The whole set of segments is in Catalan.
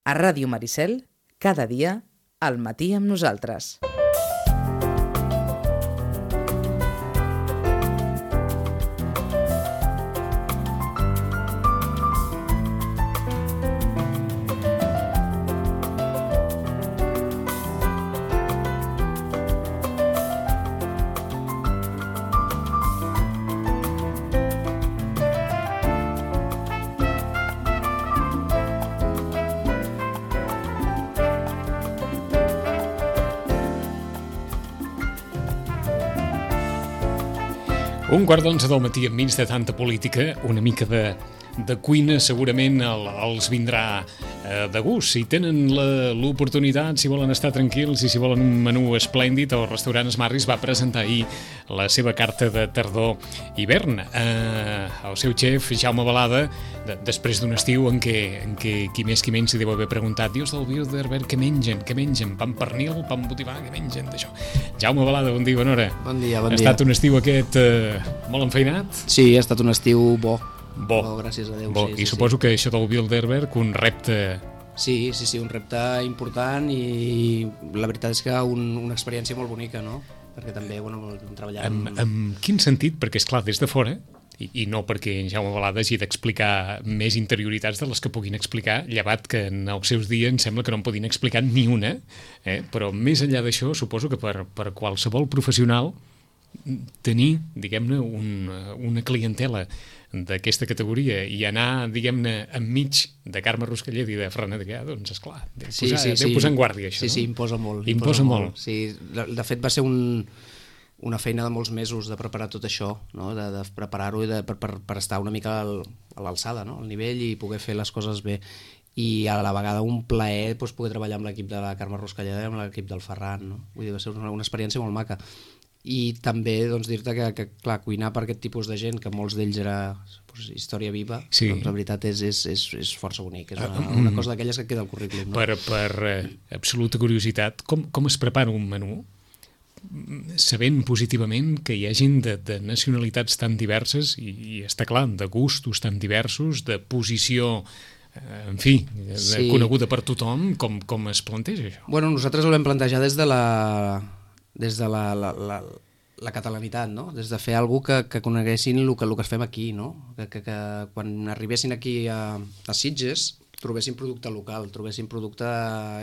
A Ràdio Maricel, cada dia, al matí amb nosaltres. Un quart d'11 del matí enmig de tanta política, una mica de cuina segurament els vindrà de gust. Si tenen l'oportunitat, si volen estar tranquils i si volen un menú esplèndid, el restaurant Smarris va presentar ahir la seva carta de tardor-hivern. El seu xef, Jaume Balada, després d'un estiu en què qui més qui menys s'hi deu haver preguntat: Dios del Bilderberg, què mengen? Pa amb pernil, pa amb botifarra, què mengen d'això? Jaume Balada, bon dia, bona hora. Bon dia. Ha estat un estiu aquest molt enfeinat? Sí, ha estat un estiu bo. Bo, gràcies a Déu. Bo. Sí, I suposo que això del Bilderberg, un repte... Sí, un repte important i la veritat és que una experiència molt bonica, no? Perquè també, treballar... En quin sentit? Perquè, esclar, des de fora, i no perquè en Jaume Balada hagi d'explicar més interioritats de les que puguin explicar, llevat que en els seus dies em sembla que no en podien explicar ni una, però més enllà d'això, suposo que per qualsevol professional tenir, diguem-ne, una clientela d'aquesta categoria i anar, diguem-ne, enmig de Carme Ruscalleda i de Ferran Adrià, doncs, esclar, deu posar en guàrdia, això. Sí, imposa molt. Imposa molt. Sí, de fet va ser una feina de molts mesos de preparar tot això, no? de preparar-ho i per estar una mica a l'alçada, no? Al nivell i poder fer les coses bé. I a la vegada un plaer poder treballar amb l'equip de la Carme Ruscalleda i amb l'equip del Ferran, no? Vull dir, va ser una experiència molt maca. I també dir-te que clar, cuinar per aquest tipus de gent, que molts d'ells era història viva, sí. Doncs la veritat és força bonic, és una cosa d'aquelles que queda al currículum, no? Per absoluta curiositat, com es prepara un menú sabent positivament que hi hagin de nacionalitats tan diverses i està clar, de gustos tan diversos, de posició en fi, coneguda per tothom, com es planteja això? Bueno, nosaltres ho vam plantejar des de la catalanitat, no? Des de fer alguna que coneguessin el que fem aquí, no? Que quan arribessin aquí a Sitges trobessin producte local, trobessin producte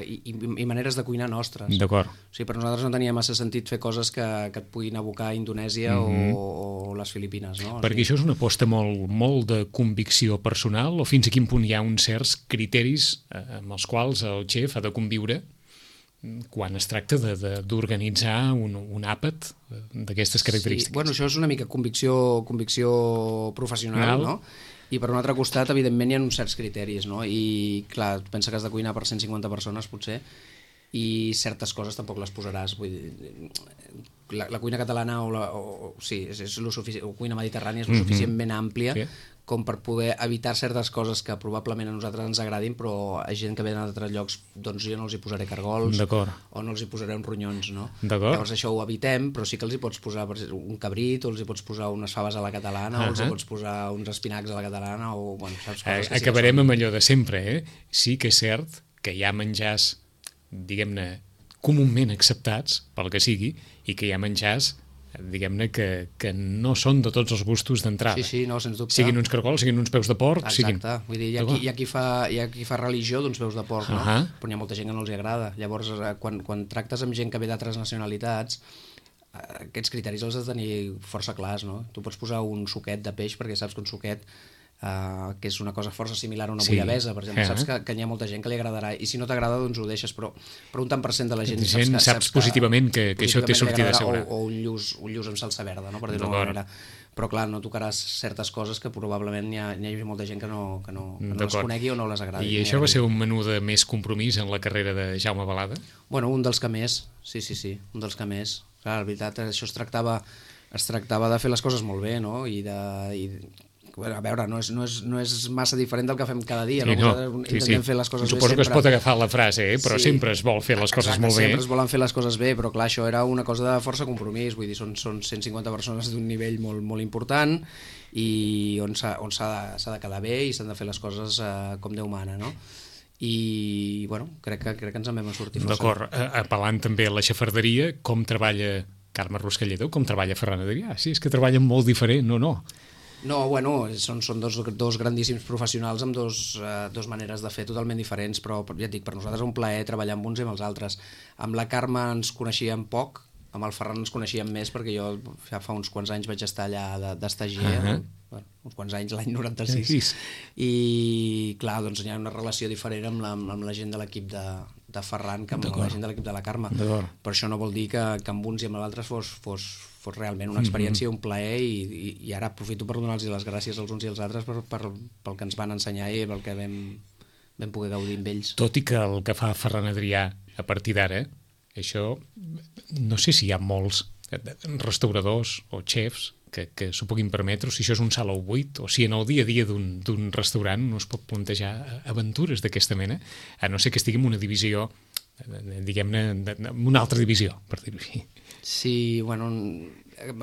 i maneres de cuinar nostres. D'acord. O sigui, per nosaltres no tenia massa sentit fer coses que et puguin abocar a Indonèsia o les Filipines, no? Perquè això és una aposta molt de convicció personal, o fins a quin punt hi ha uns certs criteris amb els quals el xef ha de conviure quan es tracta d'organitzar un àpat d'aquestes característiques? Sí, bueno, això és una mica convicció professional, no? I per un altre costat, evidentment, hi ha uns certs criteris, no? I clar, pensa que has de cuinar per 150 persones, potser, i certes coses tampoc les posaràs. Vull dir, la cuina catalana o cuina mediterrània és lo suficientment àmplia com per poder evitar certes coses que probablement a nosaltres ens agradin, però a gent que ve d'altres llocs, doncs jo no els hi posaré cargols o no els hi posaré uns ronyons, no? Llavors això ho evitem, però sí que els hi pots posar un cabrit, o els hi pots posar unes faves a la catalana, o els hi pots posar uns espinacs a la catalana, o bueno, saps coses que acabarem amb allò de sempre, Sí que és cert que hi ha menjars, diguem-ne, comúment acceptats, pel que sigui, i que hi ha menjars, diguem-ne, que no són de tots els gustos d'entrada. Sí, no, sens dubte. Siguin uns cargols, siguin uns peus de porc... Exacte, vull dir, hi ha qui fa religió d'uns peus de porc, no? Però hi ha molta gent que no els agrada. Llavors, quan tractes amb gent que ve d'altres nacionalitats, aquests criteris els has de tenir força clars, no? Tu pots posar un suquet de peix perquè saps que un suquet que és una cosa força similar a una bullabesa, per exemple, saps que hi ha molta gent que li agradarà, i si no t'agrada doncs ho deixes, però un tant per cent de la gent saps positivament que això té sortida segura. O un lluç amb salsa verda, no? Per dir-ho d'alguna manera. Però clar, no tocaràs certes coses que probablement hi hagi molta gent que no les conegui o no les agradi. I això va ser un menú de més compromís en la carrera de Jaume Balada? Bueno, un dels que més, sí, un dels que més. Clar, la veritat, això es tractava de fer les coses molt bé, no? A veure, no és massa diferent del que fem cada dia, sí, no? Intentem fer les coses bé sempre. Suposo que es pot agafar la frase, però sempre es vol fer les coses molt bé. Sempre es volen fer les coses bé, però clar, això era una cosa de força compromís, vull dir, són 150 persones d'un nivell molt, molt important i on s'ha de quedar bé i s'han de fer les coses com Déu mana, no? i bueno, crec que ens en vam sortir força. D'acord, apel·lant també a la xafarderia, com treballa Carme Ruscallador, com treballa Ferran Adrià? Sí, és que treballen molt diferent, no? No, bueno, són dos grandíssims professionals amb dos maneres de fer totalment diferents, però ja et dic, per nosaltres és un plaer treballar amb uns i amb els altres. Amb la Carme ens coneixíem poc, amb el Ferran ens coneixíem més, perquè jo fa uns quants anys vaig estar allà d'estagier, bueno, uns quants anys, l'any 96, i clar, doncs hi ha una relació diferent amb la gent de l'equip de Ferran que amb la gent de l'equip de la Carme. Però això no vol dir que amb uns i amb l'altres fos realment una experiència, un plaer, i ara aprofito per donar-los les gràcies als uns i als altres pel que ens van ensenyar i pel que vam poder gaudir amb ells. Tot i que el que fa Ferran Adrià a partir d'ara, això, no sé si hi ha molts restauradors o xefs que s'ho puguin permetre, o si això és un saló buit, o si en el dia a dia d'un restaurant no es pot plantejar aventures d'aquesta mena, a no ser que estigui en una divisió, diguem-ne, en una altra divisió, per dir-ho així. Sí, bueno,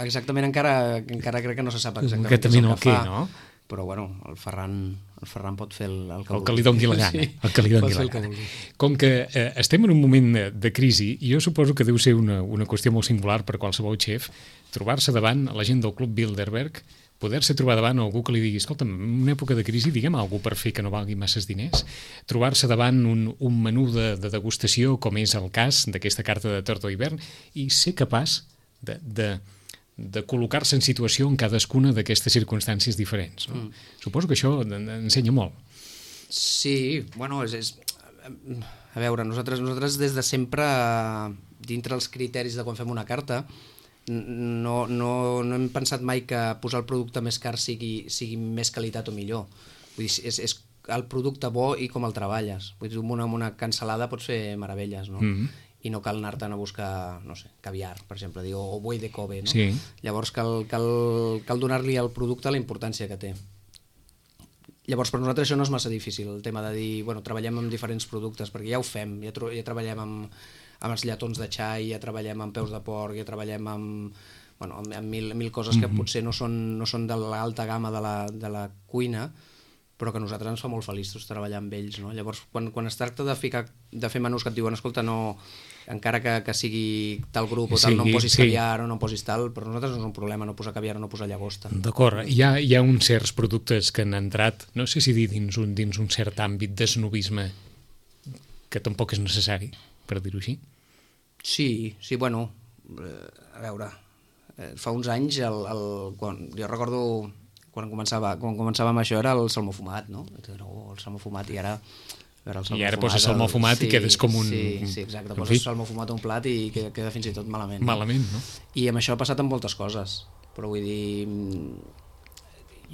exactament encara crec que no se sap exactament què fa, no? Però bueno, el Ferran pot fer el que li doni la gana. El que li doni la gana. Com que estem en un moment de crisi, jo suposo que deu ser una qüestió molt singular per qualsevol xef, trobar-se davant la gent del Club Bilderberg, poder-se trobar davant algú que li digui, escolta'm, en una època de crisi, diguem alguna per fer que no valgui masses diners, trobar-se davant un menú de degustació, com és el cas d'aquesta carta de tardor hivern, i ser capaç de col·locar-se en situació en cadascuna d'aquestes circumstàncies diferents. No? Suposo que això ensenya molt. Sí, bueno, a veure, nosaltres des de sempre, dintre els criteris de quan fem una carta, no hem pensat mai que posar el producte més car sigui més qualitat o millor. Vull dir, és el producte bo i com el treballes. Vull dir, amb una cansalada pots fer meravelles, no? I no cal anar-te'n a buscar, no sé, caviar, per exemple, o buey de Kobe, no? Sí. Llavors cal donar-li al producte la importància que té. Llavors, per nosaltres això no és massa difícil, el tema de dir, bueno, treballem amb diferents productes, perquè ja ho fem, ja treballem amb els lletons de xai, ja treballem amb peus de porc, ja treballem amb mil coses que potser no són de l'alta gamma de la cuina, però que a nosaltres ens fa molt feliços treballar amb ells, no? Llavors, quan es tracta de fer menús que et diuen, escolta, no, encara que sigui tal grup o tal, no em posis caviar o no em posis tal, però nosaltres no és un problema no posar caviar o no posar llagosta. D'acord, hi ha uns certs productes que han entrat, no sé si dir dins un cert àmbit d'esnobisme que tampoc és necessari, per dir-ho així. Sí, bueno, a veure, fa uns anys, jo recordo quan començàvem això era el salmó fumat, no? El salmó fumat, i ara... I ara poses salmó fumat i quedes com un... Sí, exacte, poses salmó fumat a un plat i queda fins i tot malament. Malament, no? I amb això ha passat amb moltes coses, però vull dir...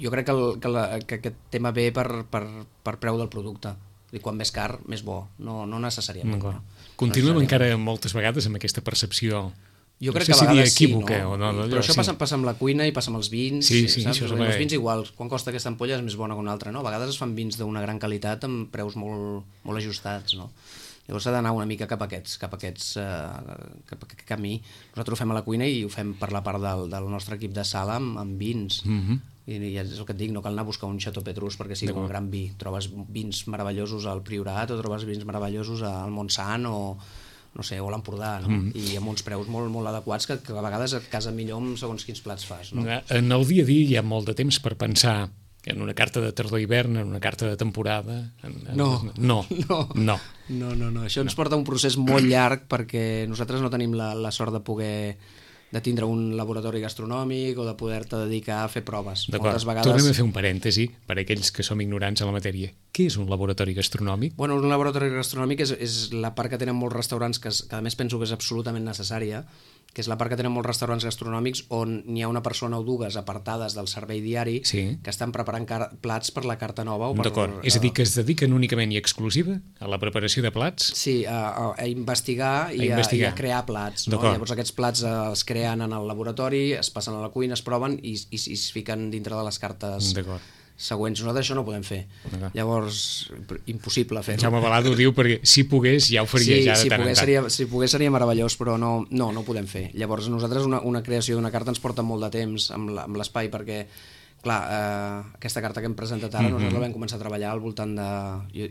Jo crec que aquest tema ve per preu del producte. I quan més car, més bo, no necessàriament. Continuem encara moltes vegades amb aquesta percepció... Jo crec que a vegades equívoca, sí, no? O no, però això passa amb la cuina i passa amb els vins. Sí, saps? això els vins igual, quan costa aquesta ampolla és més bona que una altra, no? A vegades es fan vins d'una gran qualitat amb preus molt ajustats, no? Llavors s'ha d'anar una mica cap a aquest camí. Nosaltres ho fem a la cuina i ho fem per la part del nostre equip de sala amb vins. I és el que et dic, no cal anar a buscar un Chateau Petrus perquè sigui un gran vi. Trobes vins meravellosos al Priorat o trobes vins meravellosos al Montsant o no sé, o l'Empordà, no? I amb uns preus molt, molt adequats que a vegades et casa millor amb segons quins plats fas, no? En el dia a dia hi ha molt de temps per pensar en una carta de tardor-hivern, en una carta de temporada... No. Això ens porta un procés molt llarg perquè nosaltres no tenim la sort de tindre un laboratori gastronòmic o de poder-te dedicar a fer proves. D'acord, tornem a fer un parèntesi per a aquells que som ignorants a la matèria. Què és un laboratori gastronòmic? Bueno, un laboratori gastronòmic és la part que tenen molts restaurants, que a més penso que és absolutament necessària, que és la part que tenen molts restaurants gastronòmics on n'hi ha una persona o dues apartades del servei diari que estan preparant plats per la carta nova. D'acord, és a dir, que es dediquen únicament i exclusiva a la preparació de plats? Sí, a investigar i a crear plats. No? Llavors aquests plats es creen en el laboratori, es passen a la cuina, es proven i es fiquen dintre de les cartes següents. Nosaltres això no ho podem fer. Llavors, impossible fer-ho. Jaume Balado ho diu perquè si pogués ja ho faria ja de tant en tant. Si pogués seria meravellós, però no ho podem fer. Llavors nosaltres una creació d'una carta ens porta molt de temps amb l'espai perquè clar, aquesta carta que hem presentat ara nosaltres la vam començar a treballar al voltant de,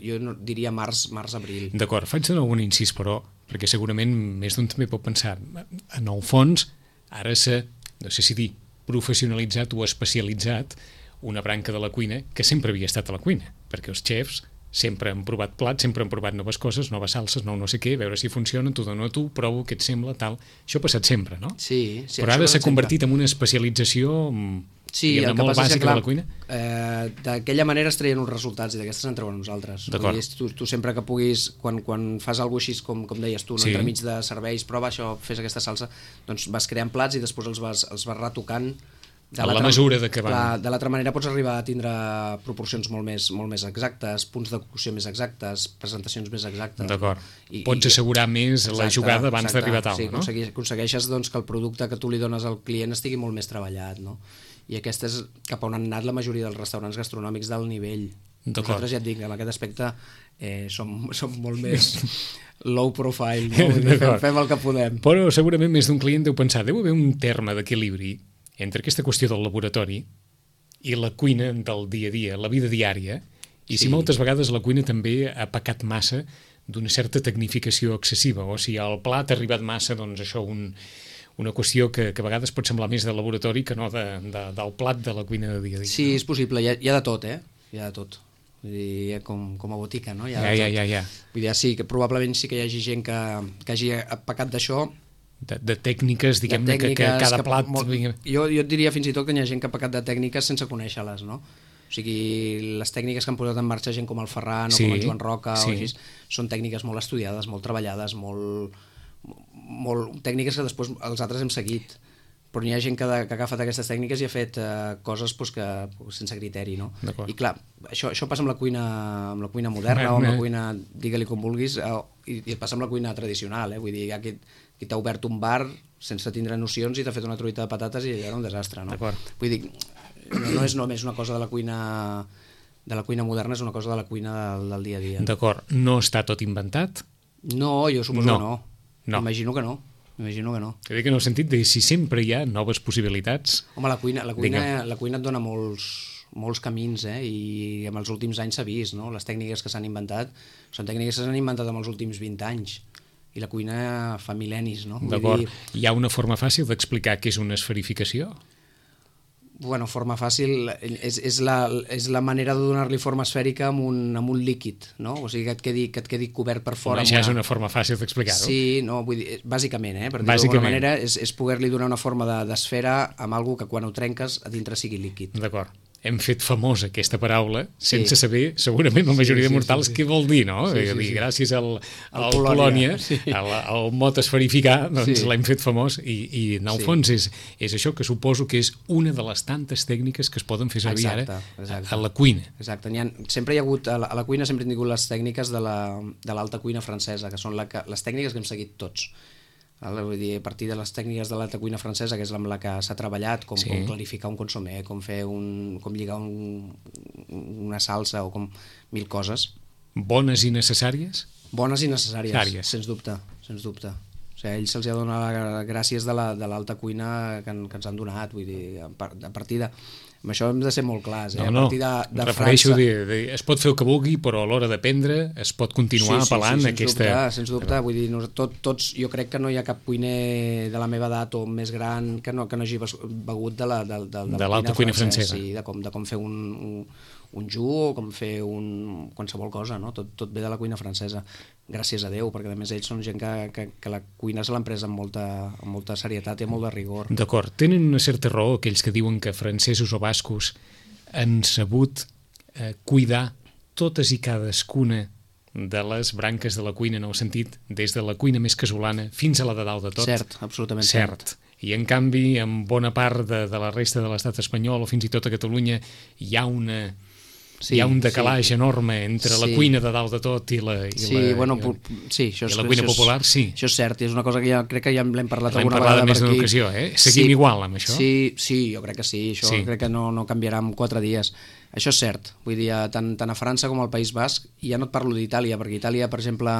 jo diria març-abril. D'acord, faig de nou un incís, però, perquè segurament més d'un també pot pensar, en el fons, ara no sé si dir, professionalitzat o especialitzat una branca de la cuina que sempre havia estat a la cuina, perquè els xefs sempre han provat plats, sempre han provat noves coses, noves salses, no sé què, veure si funciona, t'ho dono a tu, provo què et sembla, tal. Això ha passat sempre, no? Sí. Però ara s'ha convertit en una especialització molt bàsica de la cuina? D'aquella manera es treien uns resultats i d'aquestes en treuen nosaltres. Tu sempre que puguis, quan fas alguna cosa així, com deies tu, entremig de serveis, prova això, fes aquesta salsa, doncs vas creant plats i després els vas retocant a la mesura de que van. De l'altra manera pots arribar a tindre proporcions molt més exactes, punts de cocció més exactes, presentacions més exactes. D'acord. Pots assegurar més la jugada abans d'arribar a taula, no? Sí, aconsegueixes que el producte que tu li dones al client estigui molt més treballat, no? I aquesta és cap on han anat la majoria dels restaurants gastronòmics d'alt nivell. Nosaltres ja et dic, en aquest aspecte som molt més low profile, no? Fem el que podem. Però segurament més d'un client deu pensar, deu haver un terme d'equilibri entre aquesta qüestió del laboratori i la cuina del dia a dia, la vida diària, i si moltes vegades la cuina també ha pecat massa d'una certa tecnificació excessiva, o si el plat ha arribat massa, doncs això, una qüestió que a vegades pot semblar més de laboratori que no del plat de la cuina de dia a dia. Sí, és possible, hi ha de tot, hi ha de tot. Vull dir, com a botica, no? Ja. Vull dir, sí, que probablement sí que hi hagi gent que hagi pecat d'això, de tècniques, diguem-ne, que cada plat... Jo et diria fins i tot que hi ha gent que ha pecat de tècniques sense conèixer-les, no? O sigui, les tècniques que han posat en marxa gent com el Ferran o com el Joan Roca o així, són tècniques molt estudiades, molt treballades, molt tècniques que després els altres hem seguit. Però hi ha gent que ha agafat aquestes tècniques i ha fet coses sense criteri, no? I clar, això passa amb la cuina moderna o amb la cuina, digue-li com vulguis, i passa amb la cuina tradicional, vull dir, qui t'ha obert un bar sense tindre nocions i t'ha fet una truita de patates i era un desastre, no? Vull dir, no és només una cosa de la cuina moderna, és una cosa de la cuina del dia a dia. D'acord, no està tot inventat? No, jo suposo que no. Imagino que no. Crec que en el sentit de si sempre hi ha noves possibilitats... Home, la cuina et dona molts camins, i en els últims anys s'ha vist, no? Les tècniques que s'han inventat són tècniques que s'han inventat en els últims 20 anys i la cuina fa mil·lennis, no? D'acord. Hi ha una forma fàcil d'explicar què és una esferificació? Bueno, forma fàcil és la manera de donar-li forma esfèrica amb un líquid, no? O sigui, que et quedi cobert per fora. Això és una forma fàcil d'explicar-ho. Sí, no, vull dir, bàsicament, per dir-ho d'alguna manera, és poder-li donar una forma d'esfera amb alguna que quan ho trenques a dintre sigui líquid. D'acord. Hem fet famosa aquesta paraula sense saber, segurament, la majoria de mortals què vol dir, no? Gràcies al Polònia, al mot esferificar, doncs l'hem fet famós i en el fons és això que suposo que és una de les tantes tècniques que es poden fer servir ara a la cuina. Exacte. Sempre hi ha hagut, a la cuina sempre han tingut les tècniques de l'alta cuina francesa, que són les tècniques que hem seguit tots. Vull dir, a partir de les tècniques de l'alta cuina francesa, que és amb la que s'ha treballat, com clarificar un consomé, com lligar una salsa o com mil coses. Bones i necessàries? Bones i necessàries, sens dubte. O sigui, a ells se'ls ha donat gràcies de l'alta cuina que ens han donat, vull dir, a partir de... Amb això hem de ser molt clars, a partir de refereixo es pot fer el que vulgui, però a l'hora d'aprendre es pot continuar apel·lant aquesta... Sens dubte, vull dir, tots, jo crec que no hi ha cap cuiner de la meva edat o més gran que no hagi begut de l'alta cuina francesa. Sí, de com fer un jus o com fer qualsevol cosa, no? Tot ve de la cuina francesa, gràcies a Déu, perquè a més ells són gent que la cuina se l'han pres amb molta serietat i amb molt de rigor. D'acord, tenen una certa raó aquells que diuen que francesos o bascos han sabut cuidar totes i cadascuna de les branques de la cuina, en el sentit des de la cuina més casolana fins a la de dalt de tot. Cert, absolutament cert. I en canvi, en bona part de la resta de l'estat espanyol o fins i tot a Catalunya hi ha un decalatge enorme entre la cuina de dalt de tot i la cuina popular, sí. Això és cert, i és una cosa que crec que ja l'hem parlat alguna vegada més d'una ocasió, Seguim igual amb això? Sí, jo crec que sí, això crec que no canviarà en 4 dies. Això és cert, vull dir, tant a França com al País Basc, i ja no et parlo d'Itàlia, perquè Itàlia, per exemple,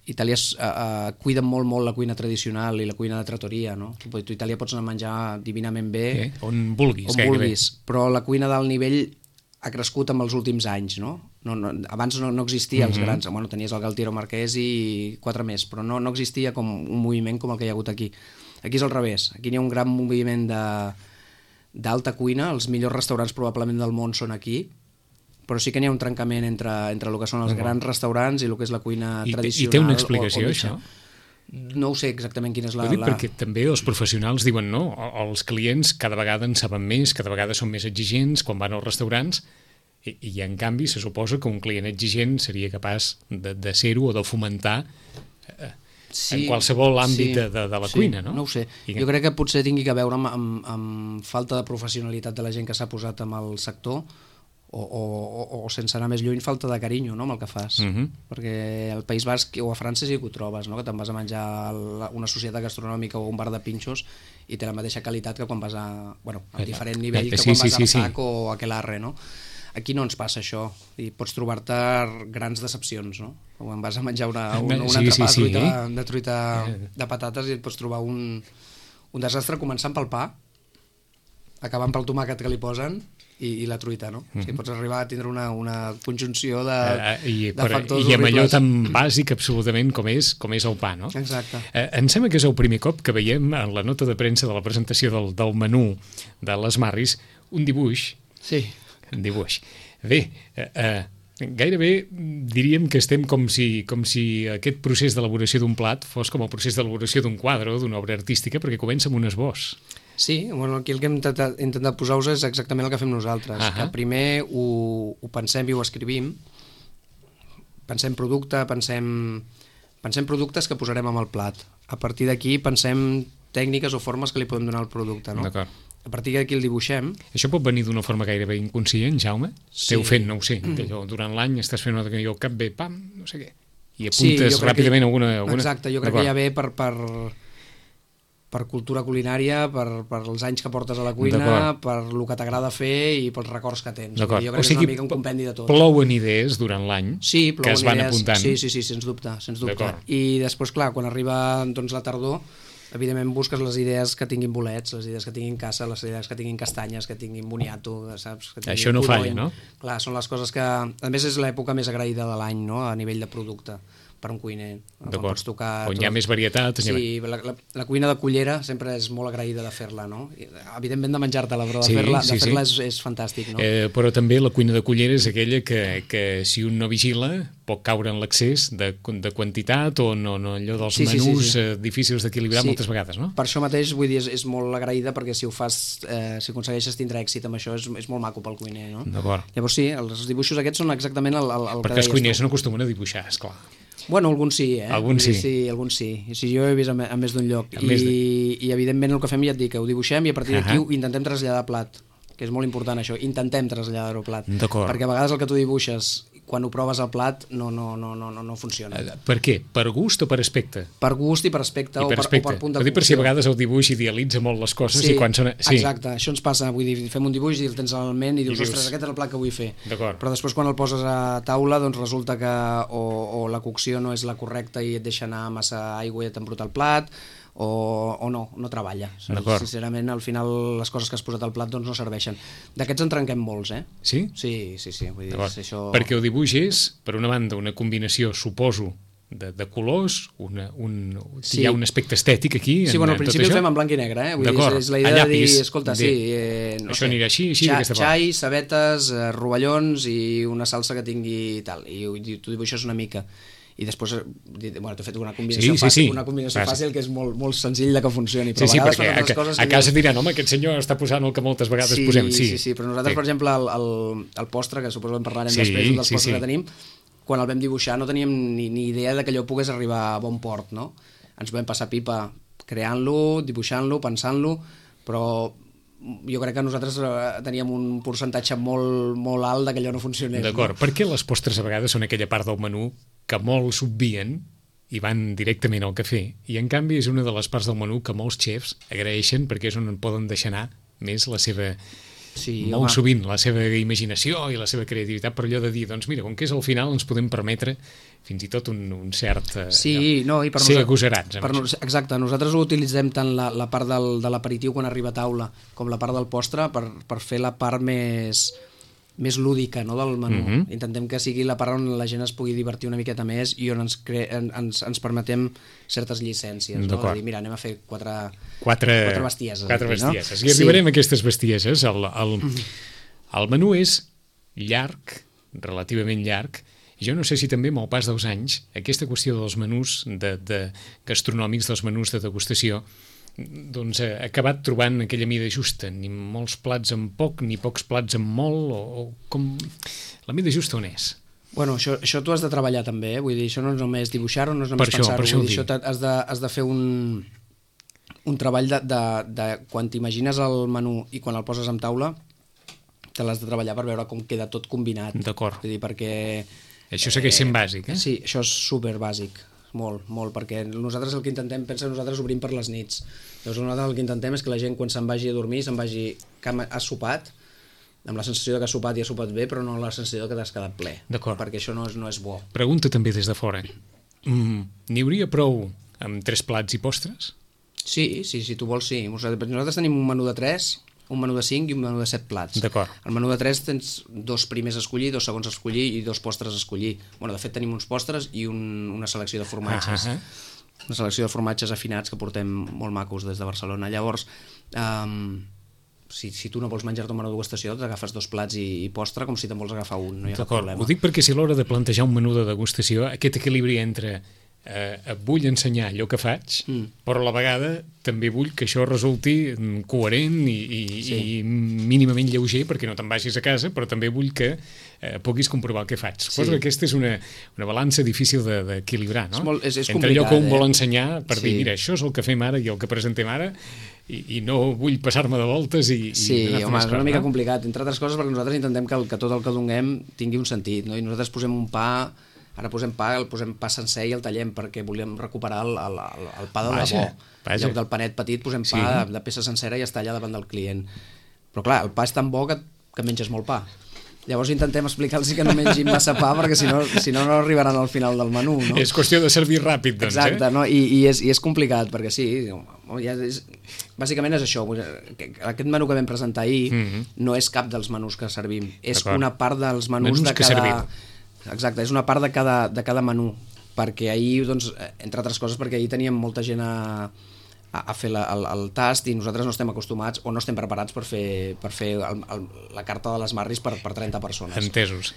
Itàlia cuida molt la cuina tradicional i la cuina de trattoria, no? Tu a Itàlia pots anar a menjar divinament bé, on vulguis, però la cuina d'alt nivell ha crescut amb els últims anys, no? Abans no existia els grans, bueno, tenies el Galtiero Marquès i 4 més, però no existia com un moviment com el que hi ha hagut aquí. Aquí és al revés, aquí n'hi ha un gran moviment d'alta cuina, els millors restaurants probablement del món són aquí, però sí que n'hi ha un trencament entre el que són els grans restaurants i el que és la cuina tradicional. I té una explicació, això? No ho sé exactament quina és la... Perquè també els professionals diuen no, els clients cada vegada en saben més, cada vegada són més exigents quan van als restaurants i en canvi se suposa que un client exigent seria capaç de ser-ho o de fomentar en qualsevol àmbit de la cuina, no? No ho sé. Jo crec que potser tingui a veure amb falta de professionalitat de la gent que s'ha posat amb el sector o sense anar més lluny, falta de carinyo, no?, amb el que fas. Perquè al País Basc o a França sí que ho trobes, no?, que te'n vas a menjar a una societat gastronòmica o un bar de pinxos i té la mateixa qualitat que quan vas a... Bueno, a diferent nivell que quan vas a Arsac o a Aquelarre, no? Aquí no ens passa això i pots trobar-te grans decepcions, no? Quan vas a menjar un entrepà de truita de patates i et pots trobar un desastre començant pel pa, acabant pel tomàquet que li posen i la truita, no? O sigui, pots arribar a tindre una conjunció de factors horribles. I amb allò tan bàsic absolutament com és el pa, no? Exacte. Em sembla que és el primer cop que veiem en la nota de premsa de la presentació del menú de les Marris un dibuix. Sí. Un dibuix. Bé, gairebé diríem que estem com si aquest procés d'elaboració d'un plat fos com el procés d'elaboració d'un quadre o d'una obra artística, perquè comença amb un esbós. Sí, bueno, aquí el que hem intentat posar-vos és exactament el que fem nosaltres, que primer ho pensem i ho escrivim, pensem producte, pensem productes que posarem amb el plat. A partir d'aquí pensem tècniques o formes que li podem donar al producte, no? D'acord. A partir d'aquí el dibuixem. Això pot venir d'una forma gairebé inconscient, Jaume? Sí. Esteu fent, no ho sé, durant l'any estàs fent una que cap bé, pam, no sé què, i apuntes ràpidament alguna... Exacte, jo crec que ja ve per cultura culinària, per els anys que portes a la cuina, per el que t'agrada fer i pels records que tens. Jo crec que és una mica un compendi de tot. Plouen idees durant l'any que es van apuntant. Sí, sens dubte. I després, clar, quan arriba la tardor, evidentment busques les idees que tinguin bolets, les idees que tinguin caça, les idees que tinguin castanyes, que tinguin boniato, saps? Això no falla, no? Clar, són les coses que... A més, és l'època més agraïda de l'any, no?, a nivell de producte per un cuiner. D'acord, on hi ha més varietat. Sí, la cuina de cullera sempre és molt agraïda de fer-la, no? Evidentment de menjar-te-la, però de fer-la és fantàstic, no? Però també la cuina de cullera és aquella que si un no vigila pot caure en l'excés de quantitat o no allò dels menús difícils d'equilibrar moltes vegades, no? Per això mateix, vull dir, és molt agraïda perquè si ho fas, si aconsegueixes tindre èxit amb això, és molt maco pel cuiner, no? D'acord. Llavors sí, els dibuixos aquests són exactament el que deies tu. Perquè els cuiners no acostumen a dibuixar, esclar. Bueno, alguns sí, Alguns sí. Alguns sí. Jo he vist a més d'un lloc. I evidentment el que fem, ja et dic, ho dibuixem i a partir d'aquí ho intentem traslladar a plat, que és molt important això, intentem traslladar-ho a plat. D'acord. Perquè a vegades el que tu dibuixes quan ho proves al plat no funciona. Per què? Per gust o per aspecte? Per gust i per aspecte, o per punt de cocció. Per si a vegades el dibuix idealitza molt les coses i quan són... Exacte, això ens passa, vull dir, fem un dibuix i el tens al ment i dius, ostres, aquest és el plat que vull fer. Però després quan el poses a taula, doncs resulta que o la cocció no és la correcta i et deixa anar massa aigua i et embruta el plat, o no treballa. Sincerament, al final les coses que has posat al plat doncs no serveixen. D'aquests en trenquem molts, Sí? Sí. Vull dir, això... Perquè el dibuix és, per una banda, una combinació, suposo, de colors, hi ha un aspecte estètic aquí. Sí, bueno, al principi ho fem en blanc i negre, Vull dir, és la idea de dir, escolta, això anirà així, d'aquesta forma. Xai, cebetes, rovellons i una salsa que tingui tal, i tu dibuixes una mica. I després, bueno, t'he fet una combinació fàcil que és molt senzill de que funcioni, però a vegades perquè a casa diran, home, aquest senyor està posant el que moltes vegades posem. Sí, però nosaltres, per exemple, el postre, que suposo que en parlarem després dels postres que tenim, quan el vam dibuixar no teníem ni idea de que allò pogués arribar a bon port, no? Ens vam passar pipa creant-lo, dibuixant-lo, pensant-lo, però jo crec que nosaltres teníem un percentatge molt alt de que allò no funcionés. D'acord, perquè les postres a vegades són aquella part del menú que molts obvien i van directament al cafè, i en canvi és una de les parts del menú que molts xefs agraeixen perquè és on poden deixar anar més la seva Sí, molt home. sovint la seva imaginació i la seva creativitat per allò de dir, doncs mira, com que és al final ens podem permetre fins i tot un cert Sí, no, i per ser nosaltres- agosarats. amb Per, això. exacte, nosaltres utilitzem tant la part de l'aperitiu quan arriba a taula com la part del postre per fer la part més lúdica, no, del menú. Intentem que sigui la part on la gent es pugui divertir una miqueta més i on ens permetem certes llicències, no? D'acord. De dir, mira, anem a fer quatre Quatre bestieses. Quatre aquí, no? bestieses. I arribarem a aquestes bestieses. El menú és llarg, relativament llarg. Jo no sé si també amb el pas dels anys aquesta qüestió dels menús de gastronòmics, dels menús de degustació, doncs ha acabat trobant aquella mida justa, ni molts plats amb poc, ni pocs plats amb molt, o com... La mida justa on és? Bueno, això tu has de treballar també, vull dir, això no és només dibuixar-ho, no és només Per això pensar-ho, ho vull dir, dic. això has de fer un treball de quan t'imagines el menú i quan el poses en taula, te l'has de treballar per veure com queda tot combinat. D'acord. Vull dir, perquè... Això segueix sent bàsic, eh? Sí, això és super bàsic, molt, perquè nosaltres el que intentem, nosaltres obrim per les nits. Llavors nosaltres el que intentem és que la gent quan se'n vagi a dormir, se'n vagi que ha sopat, amb la sensació de que ha sopat i ha sopat bé, però no la sensació que t'has quedat ple. D'acord. Perquè això no és bo. Pregunta també des de fora. N'hi hauria prou amb 3 plats i postres? Sí, si tu vols, sí. Nosaltres tenim un menú de 3, un menú de 5 i un menú de 7 plats. D'acord. Al menú de 3 tens 2 primers a escollir, 2 segons a escollir i 2 postres a escollir. Bueno, de fet tenim uns postres i una selecció de formatges. Una selecció de formatges afinats que portem molt macos des de Barcelona. Llavors, si tu no vols menjar-te un menú de degustació, t'agafes 2 plats i postre com si te'n vols agafar un, no hi ha cap problema. Ho dic perquè si a l'hora de plantejar un menú de degustació, aquest equilibri entre vull ensenyar allò que faig, però a la vegada també vull que això resulti coherent i mínimament lleuger perquè no te'n vagis a casa, però també vull que puguis comprovar el que faig. Suposo que aquesta és una balança difícil d'equilibrar, no? És entre allò que un complicat, vol ensenyar per dir, mira, això és el que fem ara i el que presentem ara i no vull passar-me de voltes Sí, home, és una mica complicat, entre altres coses perquè nosaltres intentem que tot el que donem tingui un sentit, no? I nosaltres posem un pa. Ara posem pa sencer i el tallem perquè volem recuperar el pa de debò. En lloc del panet petit posem pa de peça sencera i es talla davant del client. Però clar, el pa és tan bo que menges molt pa. Llavors intentem explicar-los que no mengin massa pa perquè si no arribaran al final del menú. No? És qüestió de servir ràpid, doncs. Exacte, no? I és complicat perquè sí, bàsicament és això. Aquest menú que vam presentar ahir no és cap dels menús que servim, és una part dels menús de cada... Exacte, és una part de cada menú, perquè ahir, doncs, entre altres coses, perquè ahir teníem molta gent a fer el tast i nosaltres no estem acostumats o no estem preparats per fer la carta de les Marris per 30 persones. Entesos.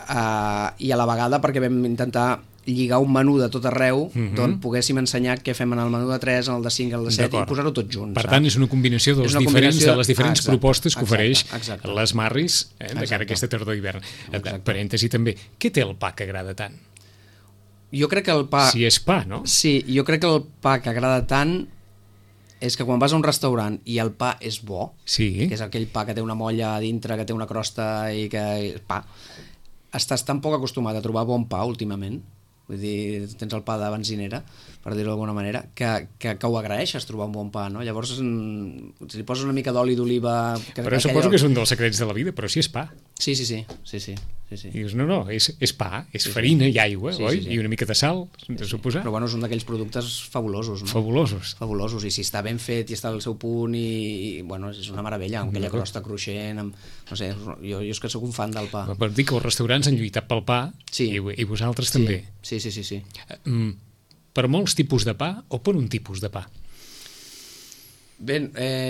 I a la vegada perquè vam intentar lligar un menú de tot arreu d'on poguéssim ensenyar què fem en el menú de 3, en el de 5, en el de 7 i posar-ho tot junts. Per tant, és una combinació de les diferents propostes que ofereix les Marris de cara a aquesta tardor d'hivern. Parèntesi també, què té el pa que agrada tant? Jo crec que el pa... Si és pa, no? Sí, jo crec que el pa que agrada tant és que quan vas a un restaurant i el pa és bo, que és aquell pa que té una molla a dintre, que té una crosta i que... pa, estàs tan poc acostumat a trobar bon pa últimament, vull dir, tens el pa de benzinera, per dir-ho d'alguna manera, que ho agraeixes trobar un bon pa, no? Llavors, si li poses una mica d'oli d'oliva... Però suposo que és un dels secrets de la vida, però si és pa. Sí. I dius, no, és pa, és farina i aigua, oi? I una mica de sal, de suposar. Però bueno, és un d'aquells productes fabulosos, no? Fabulosos, i si està ben fet i està al seu punt i bueno, és una meravella, amb aquella crosta cruixent, no sé, jo és que sóc un fan del pa. Per dir que els restaurants han lluitat pel pa i vosaltres també. Sí. Per molts tipus de pa o per un tipus de pa? Bé,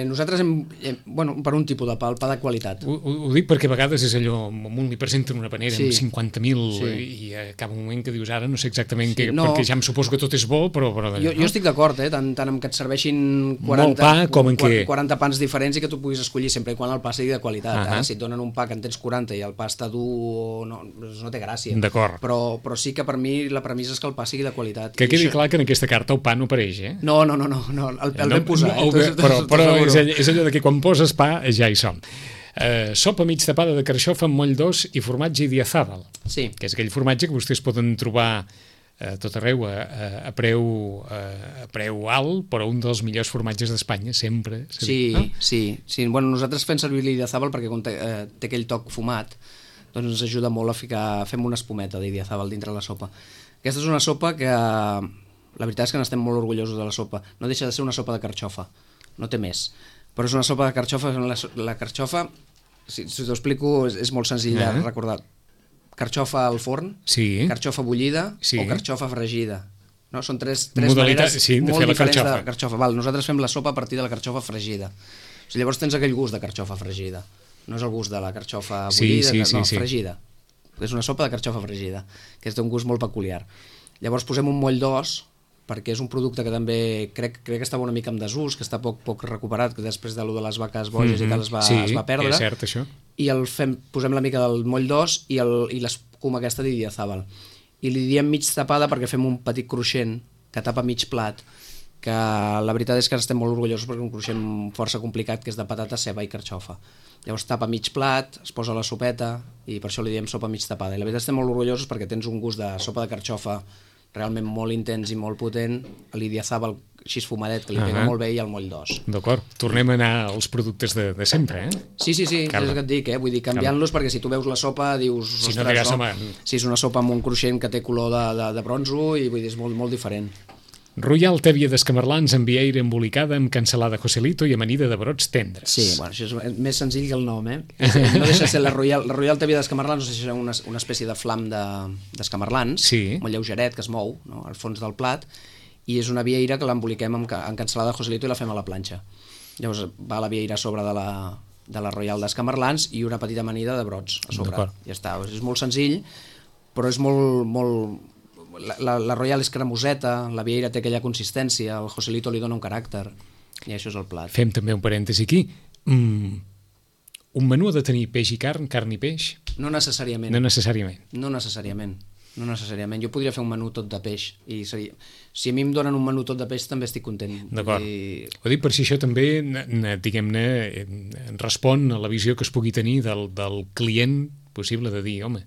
nosaltres per un tipus de pa, el pa de qualitat. Ho dic perquè a vegades és allò, un li presenten una panera amb 50.000 i acaba un moment que dius ara no sé exactament què, perquè ja em suposo que tot és bo, però jo estic d'acord, tant amb que et serveixin 40 pans diferents i que tu puguis escollir sempre i quan el pa sigui de qualitat. Ara, si et donen un pa que en tens 40 i el pa està dur, no té gràcia. D'acord. Però sí que per mi la premissa és que el pa sigui de qualitat. Que quedi clar que en aquesta carta el pa no apareix, eh? No, el ben posat. Però és allò de que quan poses pa ja hi som. Sopa mig tapada de carxofa amb moll d'os i formatge Idiazabal, que és aquell formatge que vostès poden trobar tot arreu a preu alt, però un dels millors formatges d'Espanya, sempre. Sí, no? sí. Bueno, nosaltres fem servir l'Idiazábal perquè quan té aquell toc fumat, doncs ens ajuda molt a fem una espumeta d'Idiazábal dintre la sopa. Aquesta és una sopa que, la veritat és que n'estem molt orgullosos de la sopa. No deixa de ser una sopa de carxofa, no té més. Però és una sopa de carxofa, la carxofa, si t'ho explico, és molt senzill de recordar. Carxofa al forn, carxofa bullida o carxofa fregida. No? Són tres maneres molt diferents de carxofa. Nosaltres fem la sopa a partir de la carxofa fregida. O sigui, llavors tens aquell gust de carxofa fregida. No és el gust de la carxofa bullida, fregida. És una sopa de carxofa fregida, que és d'un gust molt peculiar. Llavors posem un moll d'os, perquè és un producte que també crec que estava una mica en desús, que està poc recuperat, que després de les vaques boges i tal es va perdre. És cert, això. I posem la mica del moll d'os i l'escuma aquesta d'Idiazábal. I li diem mig tapada perquè fem un petit cruixent que tapa mig plat, que la veritat és que estem molt orgullosos perquè és un cruixent força complicat, que és de patata, ceba i carxofa. Llavors tapa mig plat, es posa la sopeta i per això li diem sopa mig tapada. I la veritat estem molt orgullosos perquè tens un gust de sopa de carxofa realment molt intens i molt potent, l'Idiazábal així fumadet, que li pega molt bé, i el moll d'os. D'acord, tornem a anar als productes de sempre, Sí, és el que et dic, vull dir, canviant-los, perquè si tu veus la sopa dius, ostres, si és una sopa amb un cruixent que té color de bronzo, i vull dir, és molt diferent. Royal tèbia d'escamarlans amb vieira embolicada amb cansalada Joselito i amanida de brots tendres. Sí, bueno, això és més senzill que el nom, No deixa de ser la Royal tèbia d'escamarlans, no sé si és una espècie de flam d'escamarlans, molt lleugeret, que es mou, no?, al fons del plat, i és una vieira que l'emboliquem amb cansalada Joselito i la fem a la planxa. Llavors va la vieira a sobre de la Royal d'escamarlans i una petita amanida de brots a sobre. Ja està, és molt senzill, però és molt... La Royal és cremoseta, la vieira té aquella consistència, el Joselito li dona un caràcter, i això és el plat. Fem també un parèntesi aquí. Un menú ha de tenir peix i carn i peix? No necessàriament. No necessàriament. Jo podria fer un menú tot de peix, i si a mi em donen un menú tot de peix també estic content. D'acord. Ho dic per si això també, diguem-ne, respon a la visió que es pugui tenir del client possible, de dir, home,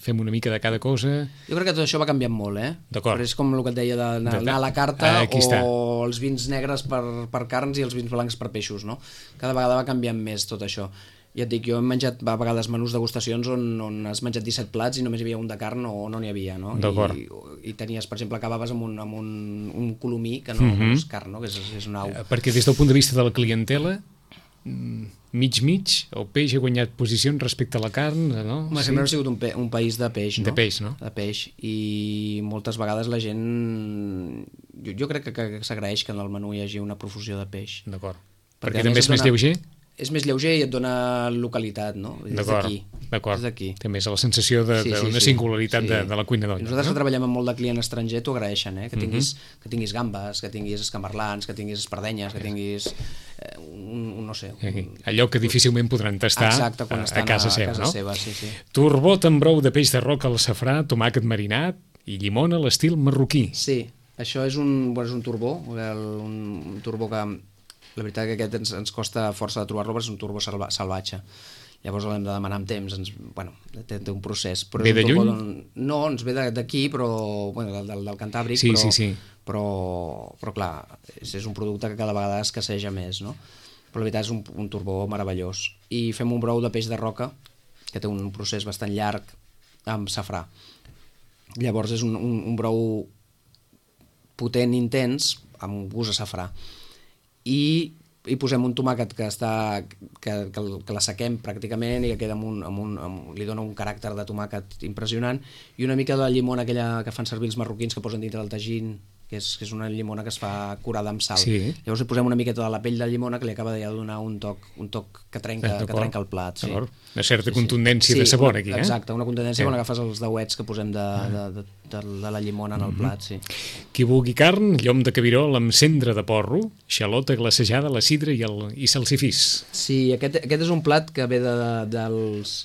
fem una mica de cada cosa. Jo crec que tot això va canviant molt, D'acord. Però és com el que et deia d'anar a la carta, o els vins negres per carns i els vins blancs per peixos, no? Cada vegada va canviant més tot això. Ja et dic, jo he menjat a vegades menús degustacions on has menjat 17 plats i només hi havia un de carn o no n'hi havia, no? D'acord. I tenies, per exemple, acabaves amb un colomí que no és carn, no? Que és una au. Perquè des del punt de vista de la clientela, mig, el peix ha guanyat posicions respecte a la carn, no? Sempre ha sigut un país de peix, no? De peix, no? De peix, i moltes vegades la gent... Jo crec que s'agraeix que en el menú hi hagi una profusió de peix. D'acord. Perquè també és més lleuger? És més lleuger i et dona localitat, no? D'acord. Té més la sensació d'una singularitat de la cuina d'olla. Nosaltres que treballem amb molt de client estranger t'ho agraeixen, que tinguis gambes, que tinguis escamarlans, que tinguis espardenyes, que tinguis no sé... Allò que difícilment podran tastar a casa seva, no? Sí. Turbot amb brou de peix de roca al safrà, tomàquet marinat i llimona a l'estil marroquí. Sí, això és un turbó, un turbó que... La veritat que aquest ens costa força de trobar-lo, perquè és un turbó salvatge. Llavors l'hem de demanar amb temps, té un procés. Ve de lluny? No, ens ve d'aquí, però del Cantàbric, però clar, és un producte que cada vegada escasseja més, no? Però la veritat és un turbó meravellós. I fem un brou de peix de roca, que té un procés bastant llarg, amb safrà. Llavors és un brou potent, intens, amb gust a safrà. I posem un tomàquet que l'assequem pràcticament i que queda li dona un caràcter de tomàquet impressionant, i una mica de llimona aquella que fan servir els marroquins, que posen dintre del tagín, que és una llimona que es fa curada amb sal. Llavors hi posem una miqueta de la pell de llimona, que li acaba de donar un toc que trenca el plat. Una certa contundència de sabor aquí. Exacte, una contundència quan agafes els dauets que posem de la llimona en el plat. Qui vulgui carn, llom de cabirol amb cendra de porro, xalota glacejada, la sidra i salsifís. Sí, aquest és un plat que ve del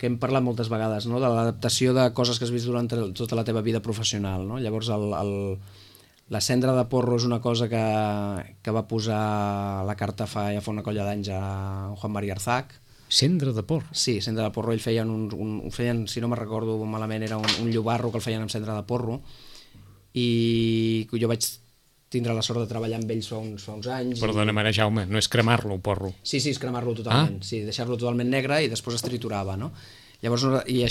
que hem parlat moltes vegades, no? De l'adaptació de coses que has vist durant tota la teva vida professional, no? Llavors la cendra de porro és una cosa que va posar a la carta ja fa una colla d'anys a Juan María Arzac, Cendra de porro. Sí, cendra de porro. Ells feien, ho feien, si no me'n recordo malament, era un llobarro que el feien amb cendra de porro, i jo vaig tindre la sort de treballar amb ells fa uns anys. Perdona, mare Jaume, no és cremar-lo, el porro. Sí, és cremar-lo totalment, sí, deixar-lo totalment negre i després es triturava, no? Llavors, i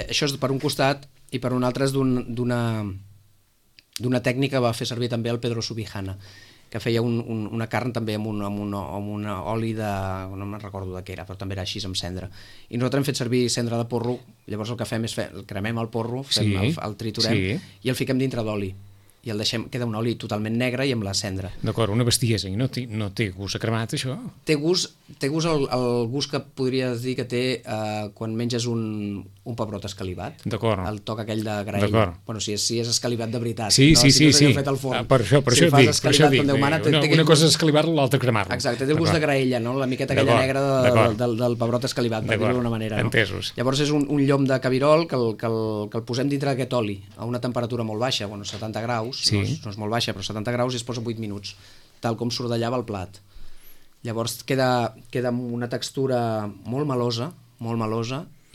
això és per un costat, i per un altre és d'una tècnica que va fer servir també el Pedro Subijana, que feia una carn també amb un oli de... no me'n recordo de què era, però també era així amb cendra. I nosaltres hem fet servir cendra de porro, llavors el que fem és cremem el porro, el triturem i el fiquem dintre d'oli. I el deixem, queda un oli totalment negre i amb la cendra. D'acord, una bestiesa, i no té gust a cremat, això? Té gust el gust que podries dir que té quan menges un pebrot escalivat. D'acord. El toc aquell de graell. Bueno, si és escalivat de veritat. Sí. Fet al forn. Per això dic. Una cosa és escalivar-lo, l'altra cremar-lo. Exacte, té el gust de graella, no? La miqueta aquella negra del pebrot escalivat, per dir-ho d'una manera. Entesos. Llavors és un llom de cabirol que el posem dintre d'aquest oli a una temperatura molt baixa, 70 graus, no és molt baixa, però 70 graus, i es posa 8 minuts, tal com s'ordellava el plat. Llavors queda amb una textura molt melosa,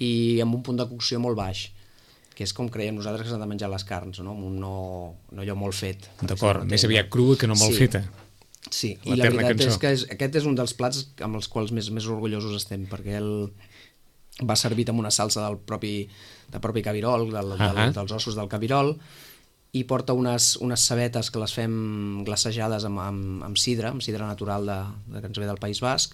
i amb un punt de cocció molt baix, que és com creiem nosaltres que s'han de menjar les carns, no allò molt fet. D'acord, més aviat crua que no molt feta. Sí, i la veritat és que aquest és un dels plats amb els quals més orgullosos estem, perquè va servit amb una salsa del propi cabirol, dels ossos del cabirol, i porta unes cebetes que les fem glaçejades amb sidra natural que ens ve del País Basc,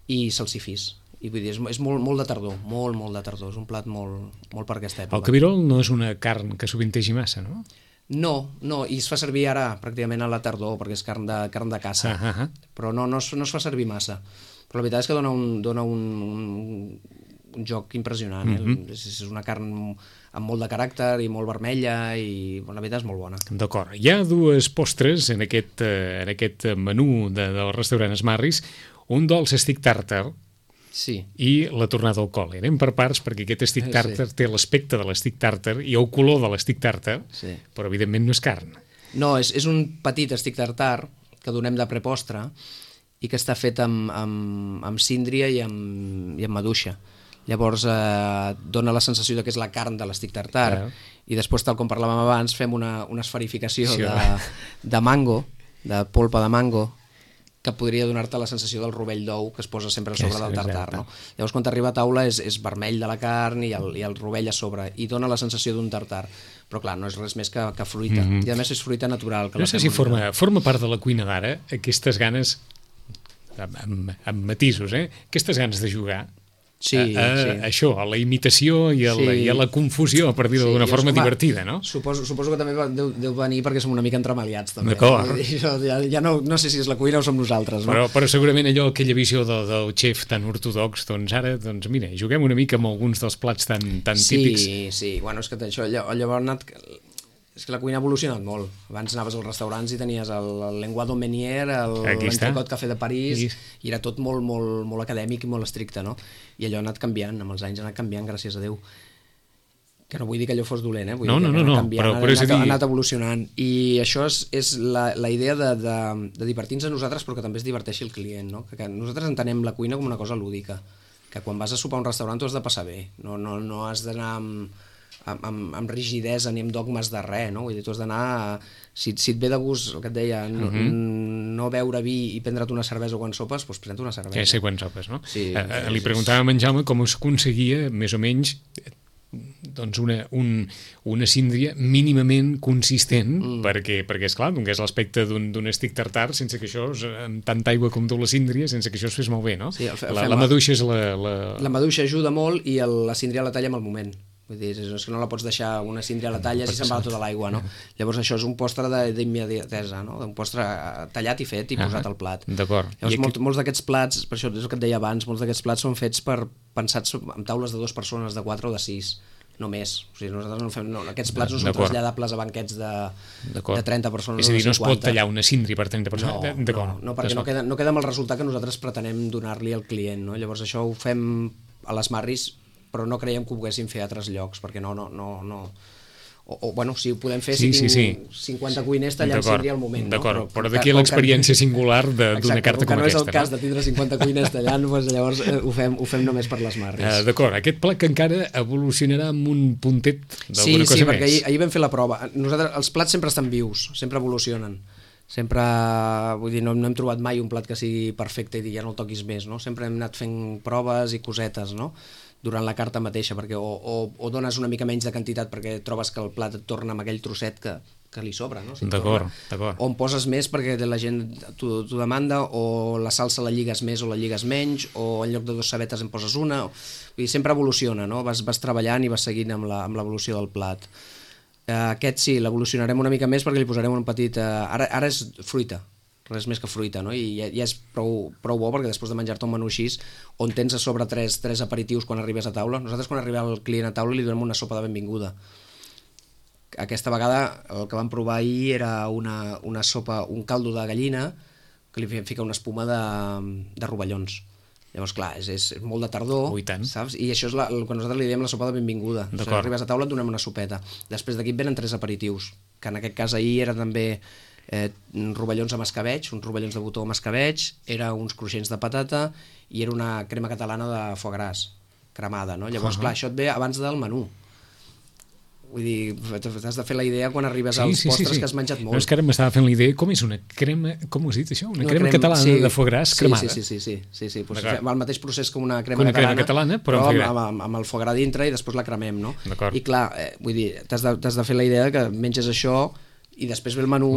i salsifís. I vull dir, és molt de tardor, molt de tardor, és un plat molt per aquesta època. El cabirol no és una carn que sovintegi massa, no? No, i es fa servir ara pràcticament a la tardor, perquè és carn de caça, però no es fa servir massa. Però la veritat és que dona un joc impressionant, és una carn amb molt de caràcter i molt vermella, i la veritat és molt bona. D'acord, hi ha dues postres en aquest menú del restaurant Smarris, un dolç stick tartar i la tornada al col. Anem per parts, perquè aquest stick tartar té l'aspecte de l'stick tartar i el color de l'stick tartar, però evidentment no és carn. No, és un petit stick tartar que donem de prepostre i que està fet amb síndria i amb maduixa. Llavors dona la sensació que és la carn de l'stick tartar, i després, tal com parlàvem abans, fem una esferificació de mango, de polpa de mango, que podria donar-te la sensació del rovell d'ou que es posa sempre a sobre del tartar, no? Llavors, quan t'arriba a taula és vermell de la carn i el rovell a sobre, i dona la sensació d'un tartar, però clar, no és res més que fruita, i a més és fruita natural. No sé si forma part de la cuina d'ara aquestes ganes, amb matisos, aquestes ganes de jugar això, a la imitació i a la confusió, per dir-ho d'una forma divertida, no? Suposo que també deu venir perquè som una mica entremaliats, també. D'acord. Ja no sé si és la cuina o som nosaltres, no? Però segurament aquella visió del xef tan ortodox, doncs ara, mira, juguem una mica amb alguns dels plats tan típics. Sí, bueno, és que això, llavors és que la cuina ha evolucionat molt. Abans anaves als restaurants i tenies el lenguado Meunier, l'entrecot café de París, i era tot molt acadèmic i molt estricte, no? I allò ha anat canviant, amb els anys ha anat canviant, gràcies a Déu. Que no vull dir que allò fos dolent, vull dir que ha anat evolucionant. I això és la idea de divertir-nos a nosaltres, però que també es diverteixi el client, no? Que nosaltres entenem la cuina com una cosa lúdica, que quan vas a sopar a un restaurant tu has de passar bé, no has d'anar amb rigidesa ni amb dogmes de res, no? Vull dir, tu has d'anar, si et ve de gust, el que et deia, no beure vi i prendre't una cervesa quan sopes, doncs pren-te una cervesa. Ja sé quan sopes, no? Li preguntàvem a en Jaume com es aconseguia, més o menys, doncs una síndria mínimament consistent, perquè esclar, donés l'aspecte d'un stick tartar, sense que això, amb tanta aigua com tu la síndria, sense que això es fes molt bé, no? La maduixa és la maduixa ajuda molt, i la síndria la talla en el moment. Vull dir, és que no la pots deixar una síndria a la talla si se'n va tota l'aigua, no? Llavors això és un postre d'immediatesa, no? Un postre tallat i fet i posat al plat. D'acord. Llavors molts d'aquests plats, per això és el que et deia abans, molts d'aquests plats són fets pensats amb taules de 2 persones, de 4 o de 6, no més. O sigui, nosaltres no fem... Aquests plats no són traslladables a banquets de 30 persones o de 50. És a dir, no es pot tallar una síndria per 30 persones? No, perquè no queda amb el resultat que nosaltres pretenem donar-li al client, no? Llavors això ho fem a les Marris, però no creiem que ho poguéssim fer a altres llocs, perquè no... bueno, si ho podem fer, Sí, si sí, tinc 50 cuiners tallant seria el moment. D'acord, però d'aquí l'experiència singular d'una carta com aquesta. No és el cas de tindre 50 cuiners tallant, doncs llavors ho fem només per les marres. D'acord, aquest plat que encara evolucionarà amb un puntet d'alguna cosa més. Sí, perquè ahir vam fer la prova. Nosaltres, els plats sempre estan vius, sempre evolucionen. Sempre, vull dir, no hem trobat mai un plat que sigui perfecte i dir ja no el toquis més, no? Sempre hem anat fent proves i cosetes, no?, durant la carta mateixa, perquè o dones una mica menys de quantitat perquè trobes que el plat et torna amb aquell trosset que li sobra, no? Si d'acord. O en poses més perquè la gent t'ho demanda, o la salsa la lligues més o la lligues menys, o en lloc de 2 cebetes en poses una. Vull dir, sempre evoluciona, no? Vas treballant i vas seguint amb l'evolució del plat. Aquest sí, l'evolucionarem una mica més perquè li posarem un petit... Ara és fruita, res més que fruita, no? I ja és prou bo perquè després de menjar-te un menú així, on tens a sobre tres aperitius quan arribes a taula, nosaltres quan arriba el client a taula li donem una sopa de benvinguda. Aquesta vegada el que vam provar ahir era una sopa, un caldo de gallina que li fica una espuma de rovellons. Llavors, clar, és molt de tardor, saps? I això és el que nosaltres li diem la sopa de benvinguda. Si arribes a taula et donem una sopeta. Després d'aquí venen 3 aperitius, que en aquest cas ahir era també rovellons amb escabeig, uns rovellons de botó amb escabeig, era uns cruixents de patata i era una crema catalana de foie gras cremada, no? Llavors, clar, això et ve abans del menú. Vull dir, t'has de fer la idea quan arribes als postres que has menjat molt. No, és que ara m'estava fent la idea, com és una crema, com ho has dit això? Una crema catalana de foie gras cremada? Sí. El mateix procés com una crema catalana, però amb el foie gras dintre i després la cremem, no? I clar, vull dir, t'has de fer la idea que menges això i després ve el menú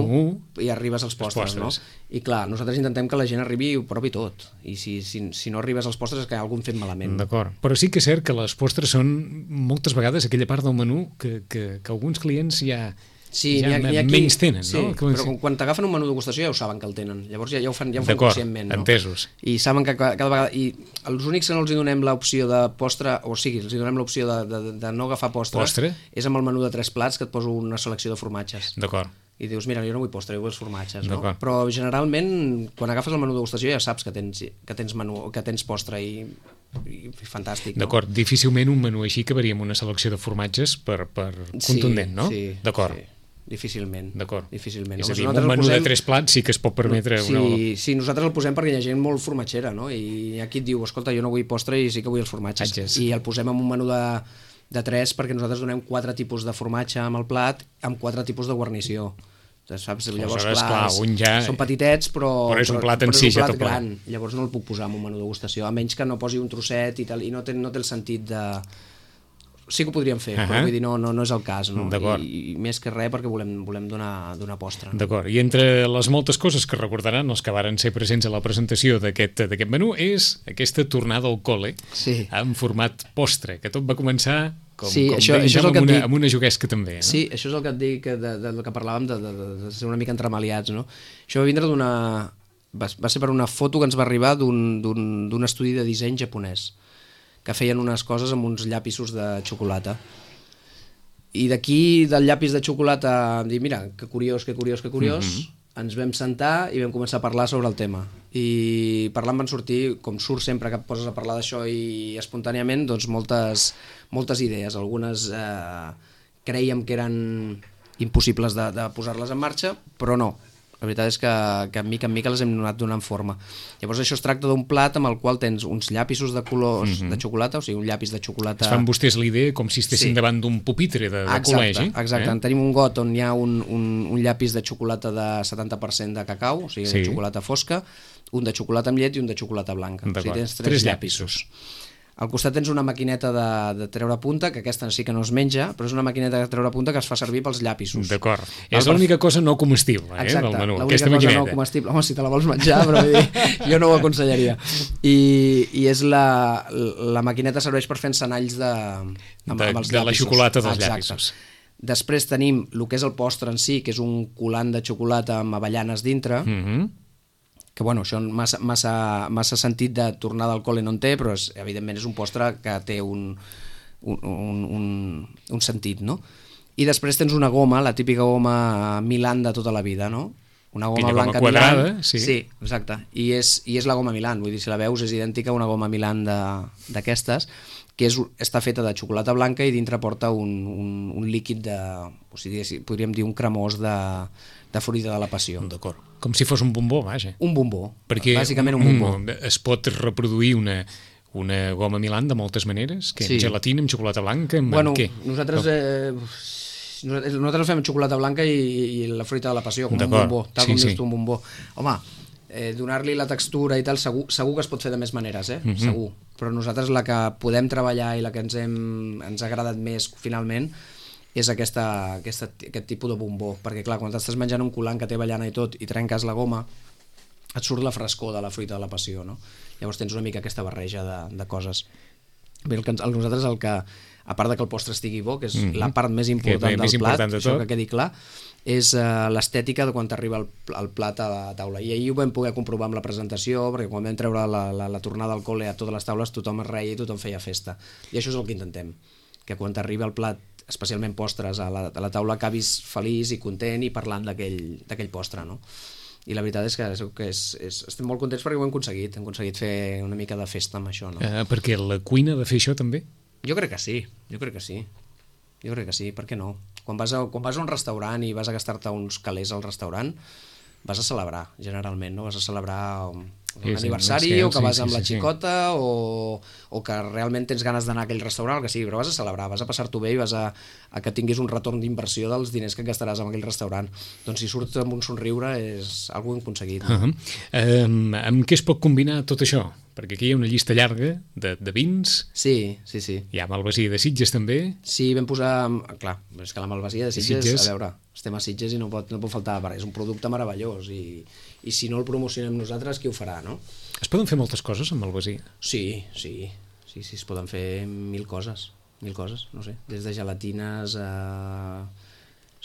i arribes als postres, no? I clar, nosaltres intentem que la gent arribi i ho provi tot. I si no arribes als postres és que hi ha algun fet malament. D'acord. Però sí que és cert que les postres són moltes vegades aquella part del menú que alguns clients ja menys tenen, no? Però quan t'agafen un menú degustació ja ho saben que el tenen. Llavors ja ho fan conscientment, no? Entesos. I saben que cada vegada... I els únics que no els donem l'opció de postre, o sigui, els donem l'opció de no agafar postre, és amb el menú de 3 plats que et poso una selecció de formatges. D'acord. I dius, mira, jo no vull postre, jo vull els formatges, no? Però generalment, quan agafes el menú de degustació ja saps que tens postre i fantàstic. D'acord, difícilment un menú així acabaria amb una selecció de formatges per contundent, no? Sí, d'acord. Difícilment. D'acord. Difícilment. És a dir, un menú de 3 plats sí que es pot permetre... Sí, nosaltres el posem perquè hi ha gent molt formatgera, no? I aquí et diu, escolta, jo no vull postre i sí que vull els formatges. I el posem en un menú de 3 perquè nosaltres donem 4 tipus de formatge amb el plat amb 4 tipus de guarnició. Saps? Llavors, clar, són petitets, però és un plat en si, ja tot gran. Llavors no el puc posar en un menú de degustació, a menys que no posi un trosset i tal, i no té el sentit de... Sí que ho podríem fer, però vull dir, no és el cas, no? I més que res perquè volem donar postre. D'acord, i entre les moltes coses que recordaran els que varen ser presents a la presentació d'aquest menú és aquesta tornada al col·le en format postre, que tot va començar amb una juguesca també. Sí, això és el que et dic del que parlàvem de ser una mica entremaliats, no? Això va vindre va ser per una foto que ens va arribar d'un estudi de disseny japonès que feien unes coses amb uns llapisos de xocolata. I d'aquí, del llapis de xocolata, em dic, mira, que curiós, ens vam sentar i vam començar a parlar sobre el tema. I parlant van sortir, com surt sempre que et poses a parlar d'això i espontàniament, doncs moltes idees. Algunes crèiem que eren impossibles de posar-les en marxa, però no. La veritat és que mica en mica les hem anat donant forma. Llavors això es tracta d'un plat amb el qual tens uns llapisos de colors de xocolata, o sigui, un llapis de xocolata... Es fan vostès la idea com si estessin davant d'un pupitre de col·legi. Exacte, tenim un got on hi ha un llapis de xocolata de 70% de cacau, o sigui, de xocolata fosca, un de xocolata amb llet i un de xocolata blanca. O sigui, tens 3 llapisos. Al costat tens una maquineta de treure punta, que aquesta sí que no es menja, però és una maquineta de treure punta que es fa servir pels llapisos. D'acord. És l'única cosa no comestible del menú, aquesta maquineta. L'única cosa no comestible. Home, si te la vols menjar, però jo no ho aconsellaria. I és la maquineta serveix per fer encenalls amb els llapisos. De la xocolata dels llapisos. Després tenim el que és el postre en si, que és un colant de xocolata amb avellanes dintre, que bueno, això massa sentit de tornar del col·le no en té, però evidentment és un postre que té un sentit, no? I després tens una goma, la típica goma Milan de tota la vida, no? Una goma blanca quadrada, Milan. Sí, exacte. I és la goma Milan, vull dir, si la veus és idèntica a una goma Milan d'aquestes, que està feta de xocolata blanca i dintre porta un líquid o sigui, podríem dir un cremós de fruita de la passió. D'acord. Com si fos un bombó, vaja. Un bombó, perquè bàsicament un bombó. Es pot reproduir una goma Milan de moltes maneres, que amb gelatina, amb xocolata blanca, amb què? Nosaltres fem xocolata blanca i la fruita de la passió, com un bombó, tal com dius tu, un bombó. Home, donar-li la textura i tal, segur que es pot fer de més maneres, segur. Però nosaltres la que podem treballar i la que ens ha agradat més finalment és aquest tipus de bombó, perquè clar, quan t'estàs menjant un coulant que té avellana i tot i trenques la goma, et surt la frescor de la fruita de la passió, no? Llavors tens una mica aquesta barreja de coses. Bé, nosaltres a part de que el postre estigui bo, que és la part més important del plat, això que quedi clar, és l'estètica de quan t'arriba el plat a la taula. I ahir ho vam poder comprovar amb la presentació, perquè quan vam treure la tornada al col·le a totes les taules tothom es reia i tothom feia festa. I això és el que intentem, que quan t'arriba el plat, especialment postres, a la taula acabis feliç i content i parlant d'aquell postre, no? I la veritat és que estem molt contents perquè ho hem aconseguit fer una mica de festa amb això, no? Perquè la cuina ha de fer això també? Jo crec que sí, per què no? Quan vas a un restaurant i vas a gastar-te uns calés al restaurant, vas a celebrar, generalment, no? Vas a celebrar un aniversari o que vas amb la xicota o que realment tens ganes d'anar a aquell restaurant, el que sigui, però vas a celebrar, vas a passar-t'ho bé i vas a que tinguis un retorn d'inversió dels diners que gastaràs en aquell restaurant. Doncs si surts amb un somriure és algú aconseguit. Amb què es pot combinar tot això? Perquè aquí hi ha una llista llarga de vins. Sí. Hi ha Malvasia de Sitges també. Sí, vam posar... Clar, és que la Malvasia de Sitges, a veure, estem a Sitges i no pot faltar, és un producte meravellós i si no el promocionem nosaltres, qui ho farà, no? Es poden fer moltes coses amb Malvasia? Sí, es poden fer mil coses, no sé, des de gelatines a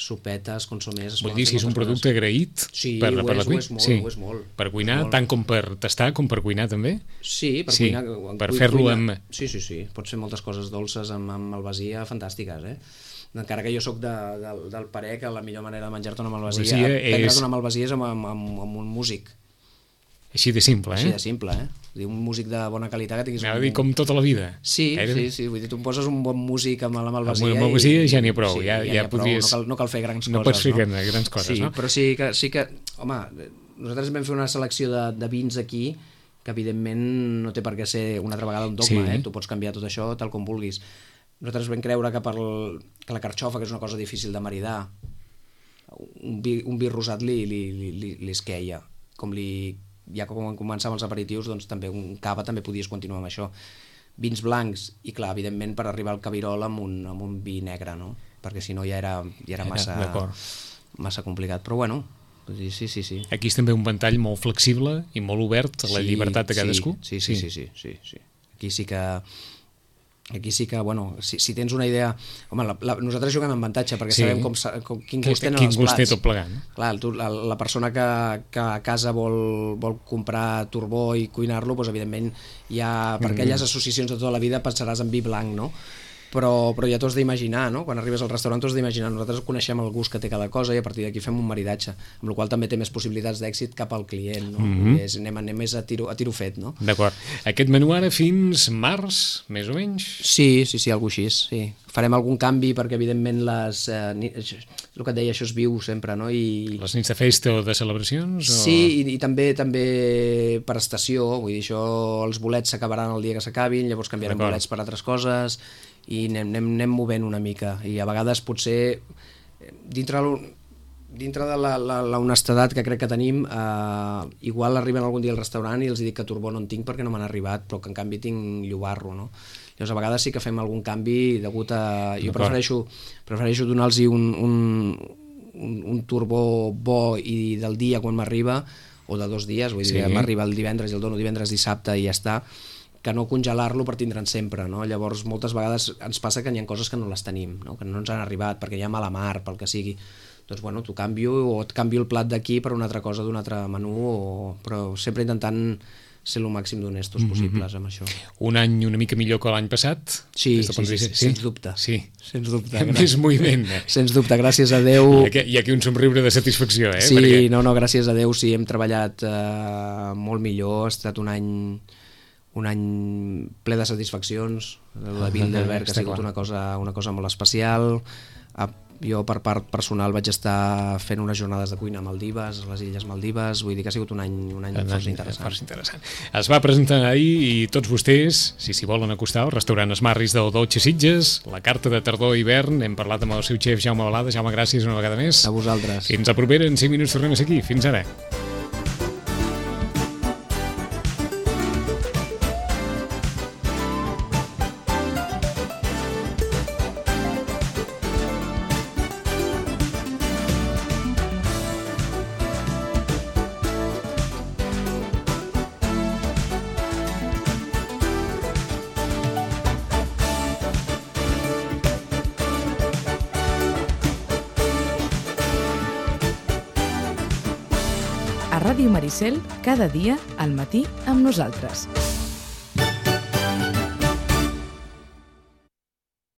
sopetes, consomés... Vull dir, si és un producte agraït per la cuina? Sí, ho és molt. Per cuinar, tant com per tastar, com per cuinar també? Sí, per cuinar... Per fer-lo amb... Sí, pots fer moltes coses dolces amb malvasia fantàstiques, encara que jo sóc del parer que la millor manera de menjar-te una malvasia, prendre't una malvasia és amb un músic. Així de simple, Així de simple, un músic de bona qualitat que tinguis... Anava a dir com tota la vida. Sí, vull dir, tu em poses un bon músic amb la malvasia... Amb la malvasia ja n'hi ha prou, ja podries... No cal fer grans coses, no pots fer grans coses, no? Però sí que, home, nosaltres vam fer una selecció de vins aquí que evidentment no té per què ser una altra vegada un dogma, tu pots canviar tot això tal com vulguis. Nosaltres vam creure que la carxofa, que és una cosa difícil de maridar, un vi rosat li esqueia, ja quan començàvem els aperitius, doncs també un cava també podies continuar amb això. Vins blancs, i clar, evidentment per arribar al cabirol amb un vi negre, no? Perquè si no ja era massa complicat, però bueno, sí. Aquí és també un ventall molt flexible i molt obert a la llibertat de cadascú. Sí. Aquí sí que, bueno, si tens una idea... Home, nosaltres juguem amb avantatge perquè sabem quin gust tenen els plats. Quin gust té tot plegat, no? Clar, la persona que a casa vol comprar turbó i cuinar-lo, doncs evidentment per aquelles associacions de tota la vida pensaràs en vi blanc, no? Però ja t'ho has d'imaginar, no? Quan arribes al restaurant t'ho has d'imaginar. Nosaltres coneixem el gust que té cada cosa i a partir d'aquí fem un maridatge, amb la qual també té més possibilitats d'èxit cap al client, no? Anem més a tiro fet, no? D'acord. Aquest menú ara fins març, més o menys? Sí, algú així, sí. Farem algun canvi perquè evidentment el que et deia, això es viu sempre, no? Les nits de festa o de celebracions? Sí, i també per estació, vull dir, això, els bolets s'acabaran el dia que s'acabin, llavors canviarem bolets per altres coses i anem movent una mica i a vegades potser dintre de la honestedat que crec que tenim igual arriben algun dia al restaurant i els dic que turbó no en tinc perquè no m'han arribat però que en canvi tinc llobarro, no? Llavors a vegades sí que fem algun canvi degut a... Jo prefereixo donar-los un turbó bo i del dia quan m'arriba o de 2 dies, vull dir, m'arriba el divendres i el dono divendres, dissabte i ja està, que no congelar-lo per tindre'n sempre, no? Llavors moltes vegades ens passa que hi ha coses que no les tenim, no? Que no ens han arribat perquè hi ha mala mar, pel que sigui. Doncs bueno, t'ho canvio o et canvio el plat d'aquí per una altra cosa d'un altre menú, però sempre intentant ser el màxim d'honestos possibles amb això. Un any una mica millor que l'any passat? Sí, sens dubte. Sí. Sens dubte. Més moviment. Sens dubte, gràcies a Déu. Hi ha aquí un somriure de satisfacció, Sí, perquè... no, gràcies a Déu sí, hem treballat molt millor, ha estat un any un any ple de satisfaccions. La Bilderberg ha sigut una cosa molt especial. Jo, per part personal, vaig estar fent unes jornades de cuina a Maldives, a les Illes Maldives, vull dir que ha sigut un any força interessant. Es va presentar ahir i tots vostès, si s'hi volen acostar, al restaurant Esmarris del Dolce Sitges, la carta de tardor i hivern, hem parlat amb el seu xef Jaume Balada. Jaume, gràcies una vegada més. A vosaltres. Fins a propera, en 5 minuts tornem a ser aquí. Fins ara. A Ràdio Maricel, cada dia al matí amb nosaltres.